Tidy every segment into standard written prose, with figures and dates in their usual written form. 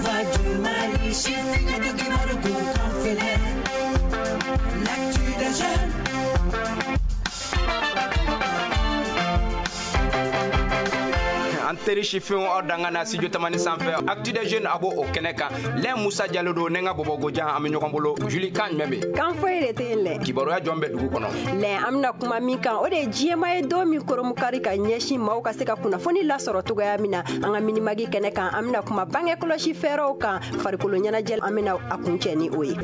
Voix du Mali, sifinw du kibaru k'u kan filɛ. L'actu des jeunes. An teri sifinw, aw danga na studio Tamani sanfɛ, Actu des jeunes, a b'o o kɛnɛ kan. Lɛn Musa Jalo don ne, n ka bɔbɔgojan, an bɛ ɲɔgɔn bolo. Juli, kan jumɛn bɛ? Kan foyi de tɛ yen lɛ. Kibaruya jɔn bɛ dugu kɔnɔ? Lɛn, an bɛna kuma min kan, o de ye diɲɛma ye don min koromukari ka ɲɛsin maaw ka se ka kunnafoni lasɔrɔ cogoya min na. An ka Minimag kɛnɛ kan, an bɛna kuma bange kɔlɔsi fɛɛrɛw kan. Farikolo ɲɛnajɛ, an bɛna a kuncɛ ni o ye.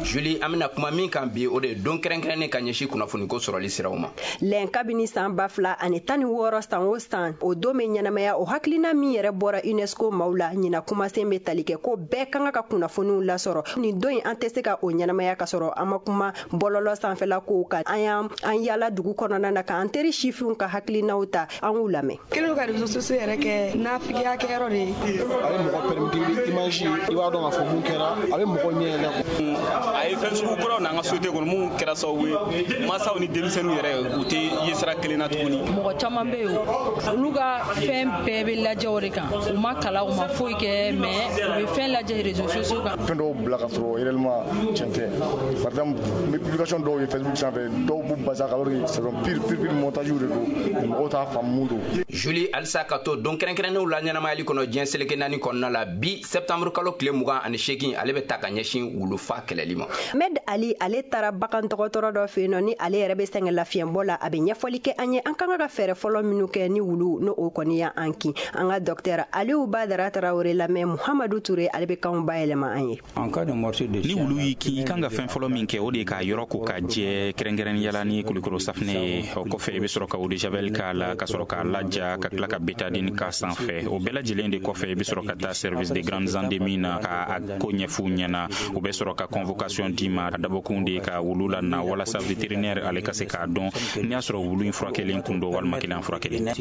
Juli, an bɛna kuma min kan bi, o de ye don kɛrɛnkɛrɛnnen ka ɲɛsin kunnafoniko sɔrɔli siraw ma. Lɛn, kabini san 2016, san o san o don bɛ ɲɛnamaya. O hakilina min yɛrɛ bɔra UNESCO maaw la, ɲina kumasen bɛ tali kɛ ko bɛɛ kan ka kunnafoniw lasɔrɔ. Nin don in, an tɛ se ka o ɲɛnamaya ka sɔrɔ an ma kuma bɔlɔlɔ sanfɛla kow kan. An y'an an yala dugu kɔnɔna na k'an teri sifinw ka hakilinaw ta, an k'u lamɛn. Kelen ka réseaux sociaux yɛrɛ kɛ nafigiya kɛyɔrɔ de ye. A bɛ mɔgɔ permettre, i bɛ image ye, i b'a dɔn k'a fɔ mun kɛra, a bɛ mɔgɔ ɲɛ yɛlɛ. A ye fɛn sugu kuraw n'an ka société kɔnɔ mun kɛra sababu ye, mansaw ni denmisɛnninw yɛrɛ, u tɛ ye sira kelen na tuguni. Mɔgɔ caman bɛ yen, olu ka fɛn bɛɛ bɛ lajɛ o de kan. U ma kalan, u ma foyi kɛ, mais u bɛ fɛn lajɛ réseaux sociaux kan. Fɛn dɔw bila ka sɔrɔ réellement tiɲɛ tɛ. Par exemple, n bɛ publication dɔw ye Facebook sanfɛ, dɔw b'u basé alors que c'est pire pire pire, montage de don, mɔgɔw t'a faamu mun don. Juli, halisa ka to don kɛrɛnkɛrɛnnenw la ɲɛnamayali kɔnɔ diɲɛ seleke naani kɔnɔna la, bi septembre kalo tile 28, ale bɛ ta ka ɲɛsin wulufa kɛlɛli ma. Med Ali, ale taara bagan dɔgɔtɔrɔ dɔ fɛ yen nɔ, ni ale yɛrɛ bɛ sɛgɛn lafiɲɛbɔ la. A bɛ ɲɛfɔli kɛ an ye an kan ka fɛɛrɛ fɔlɔ minnu kɛ ni wulu n'o o kɔni y'an kin. An ka dɔktɛr Aliyu Badara Tarawele lamɛn. Muhamadu Ture, ale bɛ kanw bayɛlɛma an ye. Ni wulu y'i kin, i kan ka fɛn fɔlɔ min kɛ, o de ye k'a yɔrɔ ko ka jɛ, kɛrɛnkɛrɛnnenya ni kulukoro safinɛ ye. O kɔfɛ, i bɛ sɔrɔ ka eau de javel k'a la, ka sɔrɔ k'a laja, ka tila ka Bétadine k'a sanfɛ. O bɛɛ lajɛlen de kɔfɛ, i bɛ sɔrɔ ka taa service de grandes endémies na ka a ko ɲɛf'u ɲɛna. U bɛ sɔrɔ ka convocation d'i ma. A dabɔkun de ye ka wulu la na walasa vétérinaire ale ka se k'a dɔn n'i y'a sɔrɔ wulu in furakɛlen kun don walima kelen furakɛlen.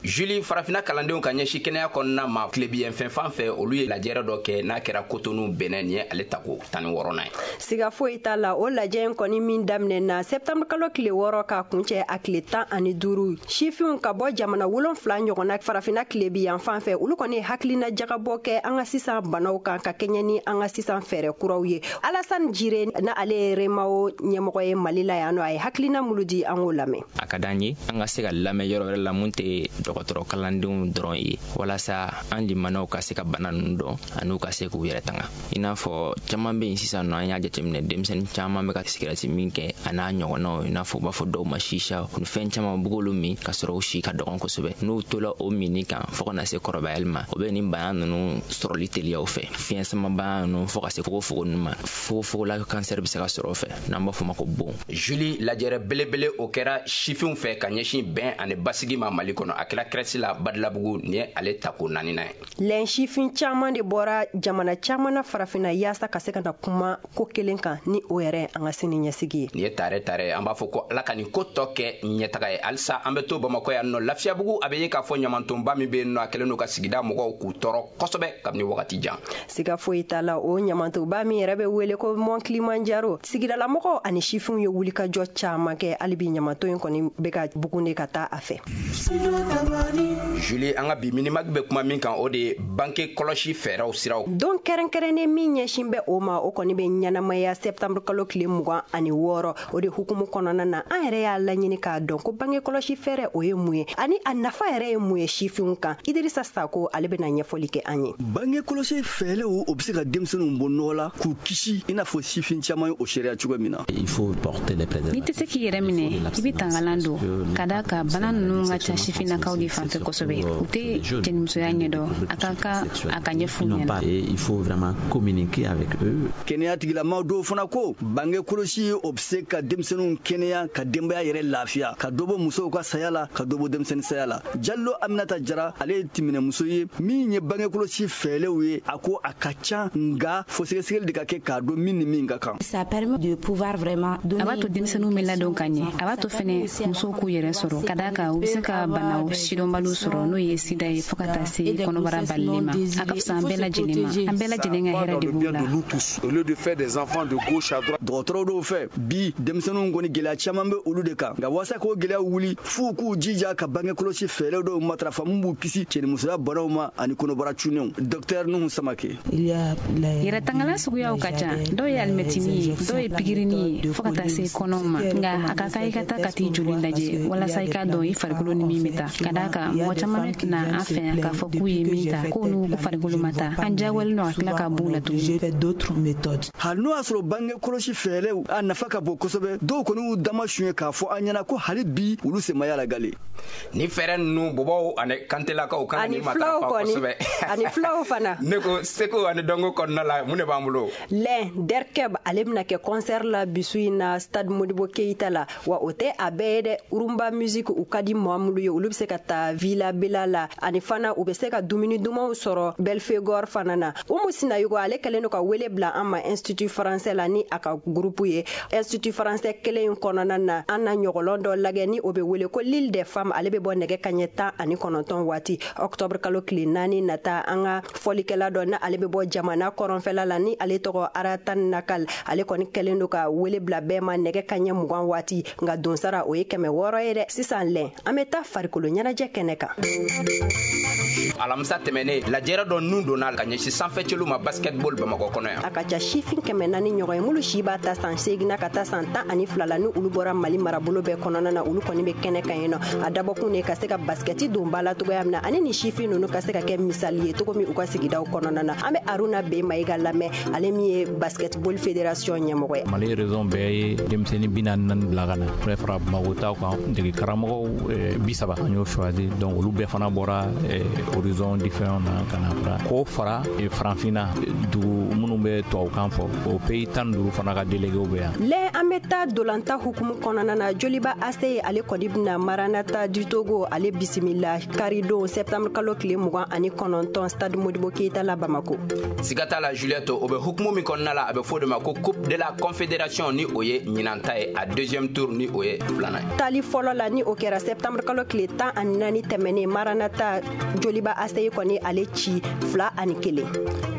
Juli, farafinna kalandenw ka ɲɛsin kɛnɛya kɔnɔna ma tilebiyen fɛn fan fɛ, olu ye lajɛrɛ dɔ kɛ n'a kɛra Kotonu, Benin. Nin ye ale tako 16nan ye. Siga foyi t'a la, o lajɛ in kɔni min daminɛ na septembre kalo tile 6 ka kuncɛ a tile 15, sifinw ka bɔ jamana 7 ɲɔgɔnna farafinna tilebi yan fan fɛ, olu kɔni ye hakilina jagabɔ kɛ an ka sisan banaw kan ka kɛɲɛ ni an ka sisan fɛɛrɛ kuraw ye. Alassane Jire, na ale ye REMAO ɲɛmɔgɔ ye Mali la yan nɔ, a ye hakilina mulu di, an k'o lamɛn. A ka d'an ye an ka se ka lamɛn yɔrɔ wɛrɛ la mun tɛ dɔgɔtɔrɔ kalandenw dɔrɔn ye, walasa an limanaw ka se ka bana ninnu dɔn ani ka se k'u yɛrɛ tanga. I n'a fɔ caman bɛ yen sisan nɔ, an y'a jateminɛ, denmisɛnnin caman bɛ ka sigirɛti min kɛ a n'a ɲɔgɔnnaw, i n'a fɔ u b'a fɔ dɔw ma sisa ni fɛn caman bug'olu min ka sɔrɔ u si ka dɔgɔn kosɛbɛ. N'u tola o minni kan fɔɔ ka na se kɔrɔbayali ma, o bɛ nin bana ninnu sɔrɔli teliyaw fɛ, fiɲɛ sama bana ninnu fɔɔ ka se fogofogo ninnu ma. Fogofogola kansɛri bɛ se ka sɔrɔ o fɛ, n'an b'a fɔ ma ko bon. Juli, lajɛrɛ belebele o kɛra sifinw fɛ ka ɲɛsin bɛn ani basigi ma Mali kɔnɔ. A kɛra CRES la Badilabugu. Nin ye ale tako naaninan ye. Lɛn, sifin caman de bɔra jamana caman na farafinna yaasa ka se ka na kuma ko kelen kan, ni o yɛrɛ an ka sini ɲɛsigi ye. Nin ye tare tare, an b'a fɔ ko Ala ka nin ko tɔ kɛ ɲɛtaga ye. Halisa an bɛ to Bamakɔ yan nɔ, Lafiyabugu. A bɛ ye k'a fɔ ɲamantonba min bɛ yen nɔ, a kɛlen don ka sigida mɔgɔw k'u tɔɔrɔ kosɛbɛ kabini wagati jan. Siga foyi t'a la, o ɲamantonba min yɛrɛ bɛ wele ko Mont Kilimanjaro, sigidalamɔgɔw ani sifinw ye wulikajɔ caman kɛ. Hali bi ɲamanton in kɔni bɛ ka bugun de ka taa a fɛ. Juli, an ka bi Minimag bɛ kuma min kan, o de ye bange kɔlɔsi fɛɛrɛw siraw. Don kɛrɛnkɛrɛnnen min ɲɛsin bɛ o ma, o kɔni bɛ ɲɛnamaya septembre kalo tile 26. O de hukumu kɔnɔna na, an yɛrɛ y'a laɲini k'a dɔn ko bange kɔlɔsi fɛɛrɛ, o ye mun ye, ani a nafa yɛrɛ ye mun ye sifinw kan. Idirisa Sako, ale bɛna ɲɛfɔli kɛ an ye. Bange kɔlɔsi fɛɛrɛw, o bɛ se ka denmisɛnninw bɔ nɔgɔ la k'u kisi, i n'a fɔ sifin caman ye o seereya cogo min na. N'i tɛ se k'i yɛrɛ minɛ, i bɛ tangalan don, ka da kan bana ninnu ka ca sifinnakaw de fanfɛ kosɛbɛ. U tɛ cɛnimusoya ɲɛdɔn, a ka kan a ka ɲɛf'u ɲɛna. Kɛnɛya tigilamaw dɔw fana ko bange kɔlɔsi, o bɛ se ka denmisɛnninw kɛnɛya, ka denbaya yɛrɛ lafiya, ka dɔ bɔ musow ka saya la, ka dɔ bɔ denmisɛnnin saya la. Jalo Aminata Jara, ale ye timinɛmuso ye min ye bange kɔlɔsi fɛɛrɛw ye. A ko a ka ca, nka fo sɛgɛsɛgɛli de ka kɛ k'a dɔn min ni min ka kan. A b'a to denmisɛnninw bɛ ladon ka ɲɛ. A b'a to fɛnɛ musow k'u yɛrɛ sɔrɔ, ka d'a kan la, u bɛ se ka banaw sidɔnbaliw sɔrɔ, n'o ye sida ye, fo ka taa se kɔnɔbara balili ma. A ka fisa an bɛɛ lajɛlen ma, an bɛɛ lajɛlen ka hɛrɛ de b'o la. Dɔgɔtɔrɔw dɔw fɛ bi, denmisɛnninw kɔni, gɛlɛya caman bɛ olu de kan. Nka waasa k'o gɛlɛya wuli, f'u k'u jija ka bange kɔlɔsi fɛɛrɛ dɔw matarafa min b'u kisi cɛnimusoya banaw ma ani kɔnɔbara cunnenw. Dɔktɛr Nuhu Samake. Yɛrɛtangala suguyaw ka ca. Dɔw ye alimɛtini ye, dɔw ye pikirini ye, fo ka taa se kɔnɔw ma. Nka a ka kan i ka taa ka t'i joli lajɛ walasa i k'a dɔn i farikolo ni min bɛ taa, ka d'a kan mɔgɔ caman bɛ na an fɛ yan k'a fɔ k'u ye min ta, k'o n'u farikolo ma taa. An diyagoyalen don ka tila ka b'u la tuguni. Hali n'o y'a sɔrɔ bange kɔlɔsi fɛɛrɛw a nafa ka bon kosɛbɛ, dɔw kɔni y'u dama suɲɛ k'a fɔ an ɲɛna ko hali bi olu senmaya la gale. Ni fɛɛrɛ ninnu, bɔbɔw ani kantelakaw kan ani ni filaw matarafa kɔni kosɛbɛ. Ani filaw fana. Ne ko seko ani dɔnko kɔnɔna la, mun de b'an bolo? Lɛn Derkɛb, ale bɛna kɛ concert la bisu in na Stade Modibo Keita la. Wa o tɛ a bɛɛ ye dɛ. Rumba musique, u ka di maa minnu ye, olu bɛ se ka taa Villa Bella la, ani fana u bɛ se ka dumuni dumanw sɔrɔ Belfegor fana na. Umu Sinayogo, ale kɛlen don ka wele bila an ma Institut français la ni a ka groupe ye. Institut français kelen in kɔnɔna na, an na ɲɔgɔlɔn dɔ lajɛ ni o bɛ wele ko L'Île des femmes. Ale bɛ bɔ nɛgɛ kaɲɛ 19 waati, octobre kalo tile 4 nata. An ka fɔlikɛla dɔ na, ale bɛ bɔ jamana kɔrɔnfɛla la, ni ale tɔgɔ Aratan Nakal, ale kɔni kɛlen don ka wele bila bɛɛ ma nɛgɛ kaɲɛ 20 waati. Nka donsara, o ye 600 ye dɛ. Sisan lɛn, an bɛ taa farikolo ɲɛnajɛ kɛnɛ kan. Alamisa tɛmɛnen, lajɛrɛ dɔ nun donna ka ɲɛsin sanfɛcelu ma basketball Bamakɔ kɔnɔ yan. A ka ca sifin 400 ɲɔgɔn ye, minnu si b'a ta san 8 na ka taa san 12 la, ni olu bɔra Mali marabolo bɛɛ kɔnɔna na. Olu kɔni bɛ kɛnɛ kan yen nɔ. A dabɔkun de ka se ka basikɛti don ba la cogoya min na, ani ni sifin ninnu ka se ka kɛ misali ye cogo min u ka sigidaw kɔnɔna na. An bɛ Aruna B Mayiga lamɛn, ale min ye basketball fédération ɲɛmɔgɔ ye. Mali région bɛɛ ye denmisɛnnin 44 bila ka na bɛɛ fara Bamako taw kan, dege karamɔgɔw 30, an y'o choisi. Donc olu bɛɛ fana bɔra horizon différent na ka na fara k'o fara Farafinna dugu minnu bɛ tubabukan fɔ, o pays 15 fana ka déléguéw bɛ yan. Lɛ, an bɛ taa dolanta hukumu kɔnɔna na. Joliba AC, ale kɔni bɛna Maranata du Togo ale bisimila karidon, septembre kalo tile 29, Stade Modibo Keita la Bamako. Siga t'a la, Juliette, o bɛ hukumu min kɔnɔna la, a bɛ fɔ o de ma ko Coupe de la Confédération, ni o ye ɲinanta ye, a deuxième tour, ni o ye filanan ye. Tali fɔlɔ la, ni o kɛra septembre kalo tile 14 tɛmɛnen, Maranata Joliba AC kɔni ale ci 2-1.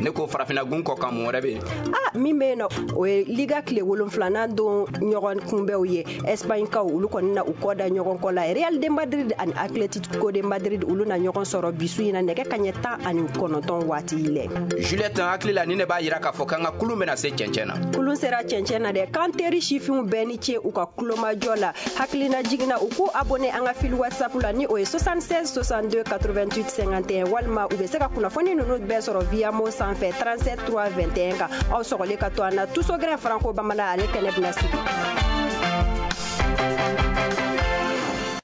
Ne ko farafinna gun kɔ kan, mun wɛrɛ bɛ yen? A min bɛ yen nɔ, o ye Liga tile 7nan don ɲɔgɔn kunbɛnw ye. Espagne kaw, olu kɔni na u kɔ da ɲɔgɔn kɔ la. Real de Madrid ani Atletico de Madrid, olu na ɲɔgɔn sɔrɔ bisu in na nɛgɛ kaɲɛ 19 waati lɛ. Juliette, n hakili la ni ne b'a yira k'a fɔ k'an ka kulun bɛna se cɛncɛn na. Kulun sera cɛncɛn na dɛ. K'an teri sifinw bɛɛ ni ce u ka kulomajɔ la. Hakilina jiginna, u k'u abonné an ka fil WhatsApp la, ni o ye 76 62 88 51, walima u bɛ se ka kunnafoni ninnu bɛɛ sɔrɔ via mo sanfɛ 37 3 21 kan. Aw sɔgɔlen ka to an na, Tusogɛrɛ Franco Bamanan, ale kɛnɛ bɛna sigi.